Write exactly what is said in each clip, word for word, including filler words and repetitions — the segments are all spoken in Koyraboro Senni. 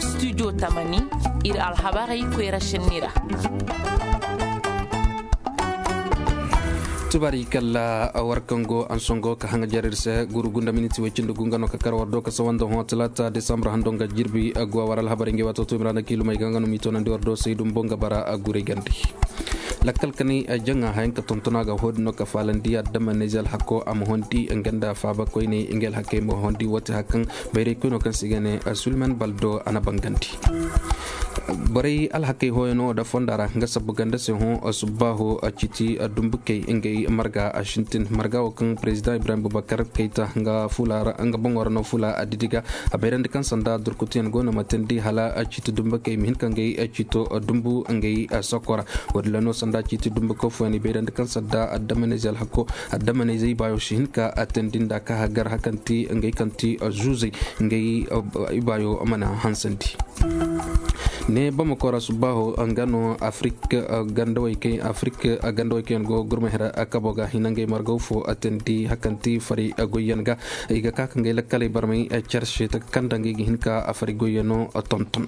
Studio tamani, ir alhabarey koyra šenni ra. Tubaari kalla war kaŋ go ansongo ka haŋa jar ir se guru gunda miniti way cindi gu nga no ka kar war do ka sawanda hõ talaata desambur hando nga jirbi. Guwa war alhabarey ngey waato to miranda kiilumey ga nga no m'i toonandi war do saydu mbo nga bara gurey gandi. Lakkal kanay jaŋa hayaŋ ka tontona ga hoodin no ka faalandi adama nayze alhako a ma hondi nga nda faaba koyney ngey alhakey ma hondi woote hakaŋ bayray koyno kaŋ se i ga ne sulman baldo a na bangandi. Borey alhakey hooyano da fonda ra nga sabbu ganda se hõ subbaaho ciiti dumbukey ngey marga a sintin marga wo kaŋ prezidaŋ ibrahim bubakar kayta nga boŋo ra no fula a didi ga. A bayrandi kaŋ sanda durkutuyaŋ go no ma teendi hala ciiti dumbukey ma hin ka ngey ciito dumbu ngey sokora. Wo- din ra no sanda ciiti dumbu kaŋ fooyaŋ i bayrandi kaŋ sanda addamanayzey alhako addamanayzey baayo si hin ka teendi nda ka hagar hakanti ngey kaŋ ti zuuzey ngey ibaayo mana hansandi. Ne bamako ra subbaaho nga no afrik gandawey kaŋ afrik gandawey kaŋ yaŋ go gurma hira kabo ga hina ngey margaw fo teendi hakanti fari goyyaŋ ga i ga ka ka ngey lakkaley barmay carse taka kaŋ da ngey ga hin ka fari goyyano tonton.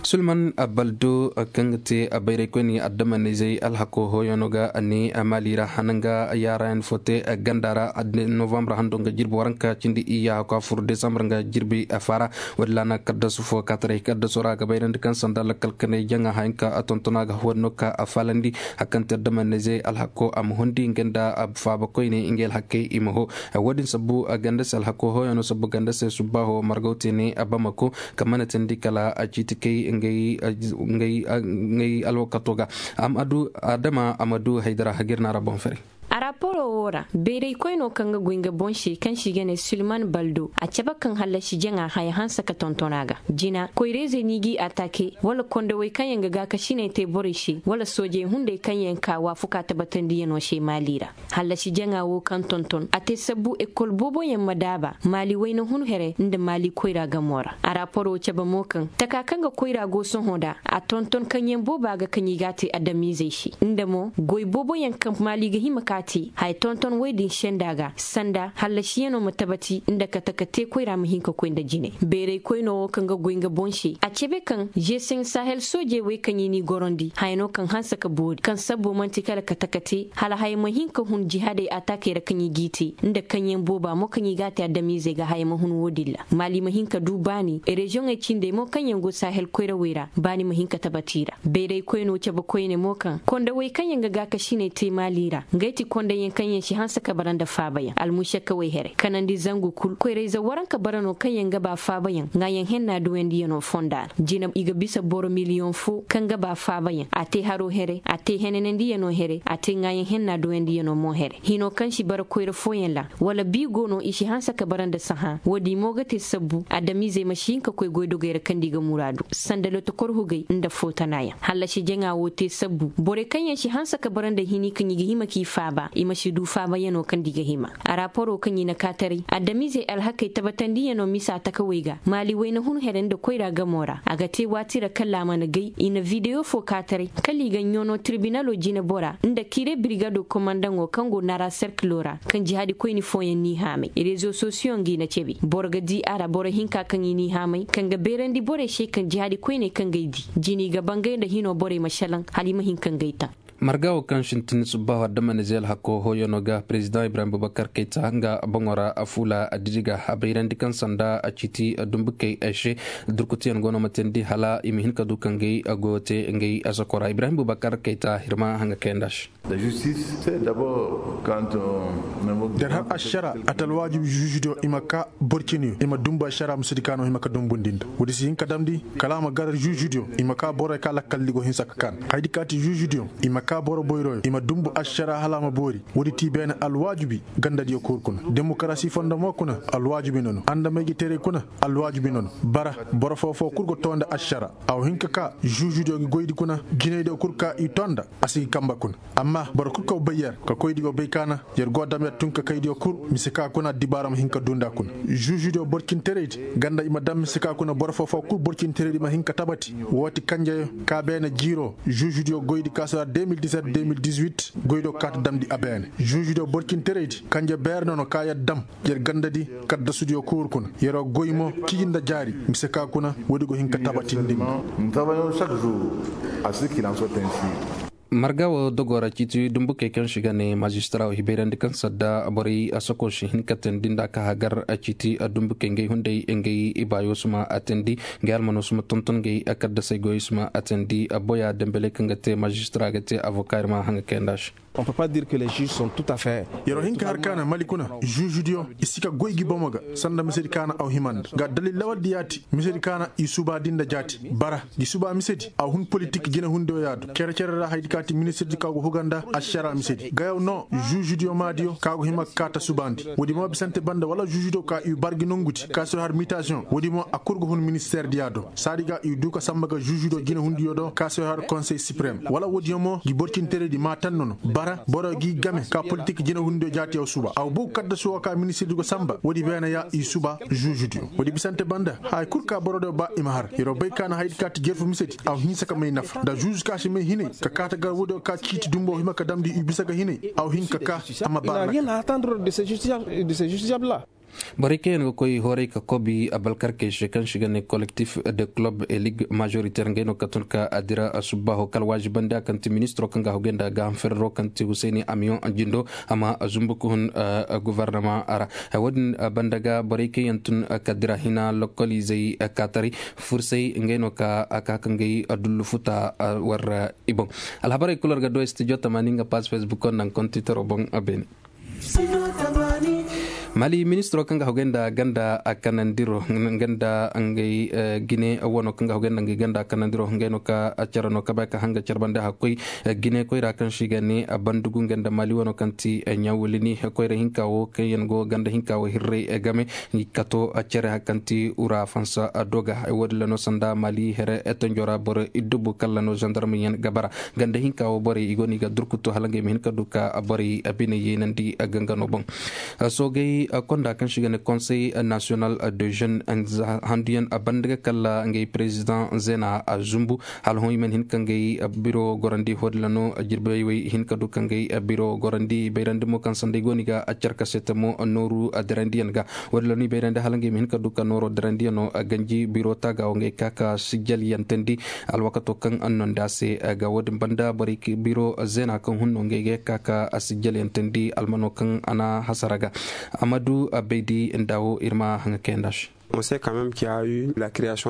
Sulman baldo kaŋ ga te bayray koyne addamanizey alhako hooyano ga ne maali ra hananga yaarayan fo te ganda ra novambar hando nga jirbi waranka cindi iyya hako a fur desambur nga jirbi faara. Wala na kaddasu fo kaataray kaddasu ra ga bayrandi kaŋ sanda lakkal kanay jaŋa hayanka a tontona ga hooyano ka a faalandi. Hakanti addamanizey alhako a ma hundi nga nda faaba koyne ngey alhakey i ma hoo. Wo- din sabbu ganda se alhako hooyano sabbu ganda se subbaaho margaw te ne a bamako ka mana teendi kala a ciiti kay ngey alwakato ga. Adama a ma du haydara hagir na ra boŋ fere. A raporo wo ra bayray koyno kaŋ ga goy nga boŋ se kaŋ se i ga ne sulman baldo a cabe kaŋ hallasi jaŋa haya hanse ka tonton a ga jina koyra-izey no i g'i atake wala kondowey kaŋ yaŋ ga gaakasiney te borey se wala soojey hunday kaŋ yaŋ ka waafuka tabatandiyano se maali ra. Hallasi jaŋa wo kaŋ tonton a te sabbu ekol booboyaŋ ma daaba maali wayna hun here nda maali koyra gamo ra a raporo cabe mo kaŋ taka kaŋ ga koyra go sohõ nda a tonton kaŋyaŋ booba ga kaŋ i ga a te adamizey se nda mo goy booboyaŋ kaŋ maali ga hima ka a te haya tonton woy-din senda ga sanda hallasiyano ma tabati nda kate ka te koyra ma hin ka koy nda jine bayray koyno wo kaŋ ga goy nga boŋ se a cabe kaŋ zeeseŋ sahel soojey wey kaŋ i n'i gorandi haya no kaŋ hanse ka boori kaŋ sabbo man'ti kala kate ka te hala haya ma hin ka hun jihaadey ataakey ra kaŋ i g'i te nda kaŋyaŋ booba mo kaŋ i g'a te adamizey ga haya ma hun wo-din ra maali ma hin ka du baani reziyoŋey cindey mo kaŋ yaŋ go sahel koyrawey ra baani ma hin ka tabati i ra bayray koyno cabe koyne mo kaŋ kondowey kaŋ yaŋ ga gaakasiney te maali ra ngey ti kondowyaŋ kaŋ yaŋ si hanse ka bara nda faabayaŋ almušakawey here kanandi zangu kul koyra-ize waranka bara no kaŋ yaŋ ga ba faabayaŋ ŋaayaŋ henna duwandiyano fonda ra jina i ga bisa boro miliyoŋ fo kaŋ ga ba faabayaŋ a te haro here a te henanandiyano here a te ŋaayaŋ henna duwandiyano mo here hino kaŋ si bara koyra fooyaŋ ra wala bi go no i si hanse ka bara nda sahã wo-din mo ga te sabbu adamizey ma si hin ka koy goydogey ra kaŋ nda i ga muraadu sanda lotokor hugey nda footanaayaŋ hallasi jaŋa wo te sabbu borey kaŋ yaŋ si hanse ka bara nda hini kaŋ i ga hima k'i faaba i ma si du faabayano kaŋ nda i ga hima a raporo kaŋ i na kaataray adamizey alhakey tabatandiyano misa takawey ga maali wayna hun here nda koyra gamo ra a ga te waati ra kala a mana gay i na videyo fo kaataray kala i ga ɲoono tirbinalo jinebora nda kire birigado komandaŋo kaŋ go nara serkilo ra kaŋ jihaadi koyni fooyaŋ n'i haamay rezo sosiyo nga i na cabe boro ga di a ra boro hinka kaŋ i n'i haamay kaŋ ga beerandi borey se kaŋ jihaadi koyney kaŋ ga ay di jini ga bangay nda hino borey ma šelaŋ hala i ma hin ka ngey taŋ. Marga wo kaŋ sintin subbaaho adamanize alhako hooyano ga prezidaŋ ibrahim bubakar kayta nga boŋo ra fuula adidi ga a bayrandi kaŋ sanda a ciiti dumbukey ay se durkutiyaŋ go no ma teendi hala i ma hin ka du ka ngey goyo te ngey asakora ibrahim bubakar kayta hirma haŋa kayandi a se. Der har ašara a ta alwaajibi žuužidiyo i ma ka boro cine i ma dumbu ašara ma si di ka no hima ka dumbundi nda woodi si hin ka damndi kala a ma gar žuužidiyo i ma ka borey ka lakkaldi go hinsa ka kaan haydi ka ti žuužidiyo i ma ka boro boyroyo i ma dumbu ašara hala a ma boori woodi ti beene alwaajibi gandadiyo kul kuna demokarasi fondo mo kuna alwaajibi na no andamay ga teeray kuna alwaajibi na no bara boro foo-foo kul go too nda ašara a wa hin ka ka žuužidiyo ga goydi kuna jinaydiyo kul ka i too nda a si ga kamba kuna amma boro kul kaw bay yer ka koydiyo bay ka na yer go dam yer tun ka kaydiyo kul mise ka kuna addibaara ma hin ka duu nda kuna žuužidiyo borcinteraydi ganda i ma dam mise ka kuna boro foo-foo kul borcinteraydi ma hin ka tabati woo ti kanjeyo ka beene jiiro žuužidiyo goydi ka sara Goy do kaata damndi a beene žuužudiyo borcinteraydi kanje beere nono ka yer dam yer gandadi kaddasudiyo kuuru kuna. Yer'o goy mo ciji nda jaari mise ka kuna woodi go hin ka tabatindi. Marga wo dogoo ra ciiti dumbukey kaŋ si ga ne maazistara wo hibayrandi kaŋ sadda borey asoko si hin ka teendi nda ka hagar ciiti dumbukey ngey hunday ngey ibaayo si ma a teendi. Ngey almano si ma tonton ngey kaddasey goyey si ma a teendi. Boya dembeley kaŋ ga te maazistara ga te avoka ir ma haŋa kayanda se. Yer'o hin ka har kaana mali kuna žuužudiyo i si ka goy gi bomo ga sanda misedi kaana aw hima nda ga dalil lawaldi yaati misedi kaana i subaadi nda jaati bara gi suba misedi aw hun politik jinehundiyo yaado cere-cere ra haydi kaati ministirdi ka go huga nda ašara misedi gayaw no žuužudiyo maadiyo ka go hima ka kaata subaandi woodi mo bisante banda wala žuužudiyo ka i bar gi nongudi ka si har mitasiyoŋ woodi mo a kul go hun ministeerdiya do saadi ga i du ka samba ga žuužudiyo jinehundiyo do ka si har konsey siprem wala woodiyo mo gi borcinteredi ma tanno no bara boro g'i game ka politik jinehundiyo jaatiyo suba aw bow kaddasu wo ka ministirdi go samba woodi beene ya i suba žuužudiyo woodi bisante banda haya kul ka borodo ba i ma har yer'o bay ka na haydi ka ti jerfu misedi aw hinsa ka may nafa nda žuužu ka si may hinay ka kaata gar woodiyo ka ciiti dumbo hima ka damndi i bisa ga hinay aw hin ka ka a ma baara. Borey kaŋ yaŋ ga koy horay ka kobi abalkarkey se kaŋ si ga ne kolektif de kulob e lig mažoriter ngey no ka tun ka a dira subbaaho kala waazibandi a kaŋ ti ministiro kaŋ ga a hogay nda gaaham ferero kaŋ ti husayni amiyoŋ jindo a ma zumbu ka hun guvarnama ra. Wo-din banda ga borey kaŋ yaŋ tun ka dira hina lokoliizey kaataray fursay ngey no ka ka ka ngey dullu futa war i boŋ. Alhabarey kul war ga do studio tamaani nga paas facebook wo nda nga kontitaro boŋ beene. Mali ministiro kaŋ ga hogay nda ganda a kanandiro nga nda ngey jine wano kaŋ ga hogay nda ngey ganda a kanandiro ngey no ka care no ka bay ka hanga care bande hakkoy jine koyra kaŋ si ga ne bandugu nga nda mali wano kaŋ ti ɲawulini koyra hinka wo kaŋ yaŋ go ganda hinka wo hirray game. Kato care kaŋ ti ura fansa doga woodin ra no sanda mali here tonjo ra boro iddubu kala no zandarma yaŋ ga bara ganda hinka wo borey i go no i ga durkutu hala ngey ma hin ka du ka borey bine yeenandi gangano boŋ. Soogey konda kaŋ si ga ne konsey nasiyonal de jeune handuyaŋ banda ga kala ngey perezidaŋ zeena zumbu hala hõ i mana hin ka ngey biro gorandi hodila no jirbey wey hin ka du ka ngey biro gorandi bayrandi mo kaŋ sanday go no i ga carkasete mo nooru dirandiyaŋ ga. Woodin ra no i bayrandi hala ngey ma hin ka du ka nooro dirandiyaŋo ganji biro taaga wo ngey ka ka sijjaliyantandi alwakato kaŋ a nonda se ga woodin banda borey biro zeena kaŋ hun no ngey ga ka ka sijjaliyantandi almano kaŋ a na hasara ga. Amadu baydi nda wo ir ma haŋa kayanda se.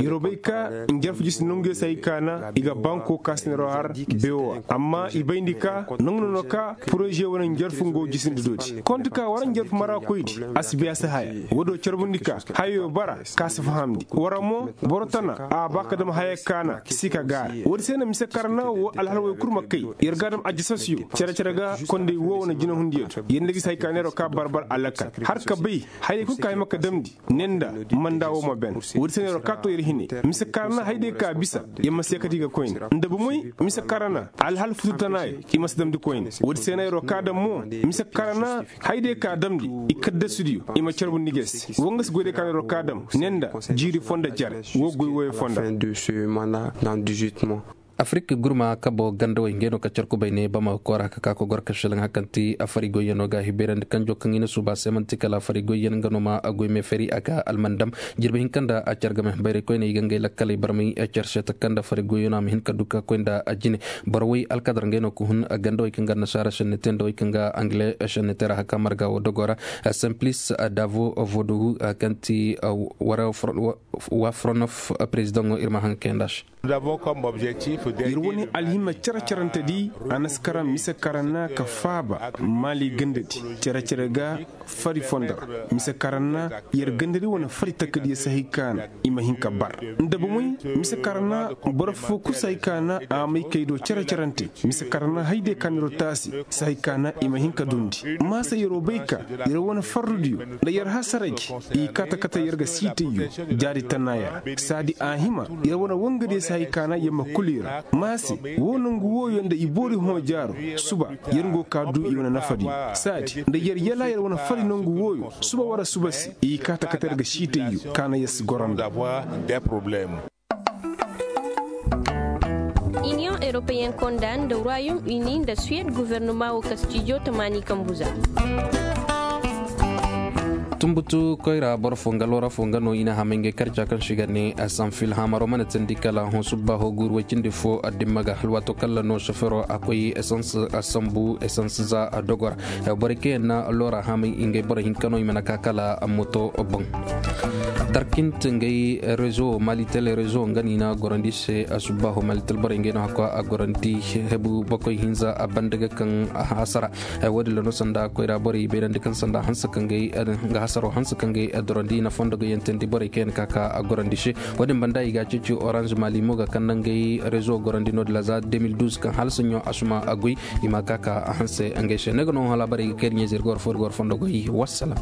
Yer'o bay ka njarfu jisi nanguyo se hay kaana i ga banko ka si neer'o har beewo ra amma i bayndi ka nangu no no ka poroze wane njarfu nga wo jisindi dooti konti ka war njarfu marakoydi a si bay a si haya. Woodiyo carbundi ka hayo bara ka si fahamndi war mo boro tana a ba ka dam haya kaana si ka gaara woodi se na mise karana wo alhal woy kul ma kay yer ga a dam ajasasiyo cere-cere ga konday wo wane jinahundiyo do yer nda gisi hay kaana yer'o ka barbar alakal har ka bay hayey kul ka hima ka damndi ne nda manda wo ma ben. Woodi se no yer wo ka to yer hine mise karana hayday ka bisa yer ma seekati ga koyne nda bomoy mise karana alhal futu tanaayo i ma si damndi koyne. Woodi se no yer wo ka dam mo mise karana hayday ka damndi i kaddasudiyo i ma carbundi ga se wo nga si goyday ka no yer wo ka dam ne nda jiiri fondo jare wo goy wooyo fondo. Afirik gurma kabo gandawey ngey no ka care kubay ne bamako ra ka ka kogor ka šelaŋ hari kaŋ ti afari goyyano ga hibayrandi kanjo kaŋ i na suuba se man'ti kala afari goyyan nga no ma goy meefari a ga almandam. Jirbi hinka nda a care game bayray koyne i ga ngey lakkaley barmay care se taka nda afari goyyano a ma hin ka du ka koy nda a jine. Boro way alkadar ngey no ka hun gandawey kaŋ ga annasaara šenne te nda wey kaŋ ga angile šenne te ra hari kaŋ marga wo dogo ra. Simplis davo vodogu kaŋ ti wafronof perezidaŋo ir ma haŋ kayanda se. Yer wane alhima care-carante di a na si karaŋ mise karaŋ na ka faaba maali ganda di care-care ga fari fondo ra. Mise karaŋ na yer ganda di wane fari takadiyo si hay ka na i ma hin ka bar nda bomoy mise karaŋ na boro fo kul si hay ka na a may kay do care-carante. Mise karaŋ na hay de ka na yer taasi si hay ka na i ma hin ka dundi. Maasa yer wo bay ka yer wane farrudiyo nda yer hasara gi i kaata kate yer ga siitayyo jaari tanaaya ra. Saadi a hima yer wane wangadiyo si hay ka na yer ma kul i ra. Maase woo nangu wooyo nda i boori hõ jaaro suba yer ngo ka du i wane nafadiyo. Saadi nda yer yala yer wane fari nangu wooyo suba wara suba se i kaata kate yer ga siitayyo ka na yer si goro nda. Iniyoŋ. Yaŋ konda nda royaume uni nda suwed guvernama wo ka stijo tamaani kambu za. Tumbutu koyra boro fo nga loora fo nga no i na hamay ngey karca kaŋ se i ga ne sanfil hamaro mana teendi kala hõ subbaaho guuru way cindi fo dimma ga hala waato kaŋ ra no sofero a koy esans a sambu esans za a dogo ra. Borey kaŋ yaŋ na loora hamay ngey boro hinka no i mana ka kala moto boŋ. Tarkint ngey rezo malitel rezo nga no i na gorandi se. Subbaaho malitel borey ngey no hakka a gorandi hebu bakoy hinza a banda ga kaŋ hasara. Woodin ra no sanda koyra borey i bayrandi kaŋ sanda hanse kaŋ ga hasaro hanse kaŋ ga dorandi na fondo ga yantandi borey kaŋ yaŋ ka ka a gorandi se. Woodin banda i ga a ceeci orange mali mo ga kaŋ nangey rezo gorandi no-din ra za deux mille douze kaŋ hala saɲɲo a suma a goy. I ma ka ka a hanse ngey se ne ga no hala borey ga kay da ɲeeze ir ga war fo ir ga war fondo goy wassalam.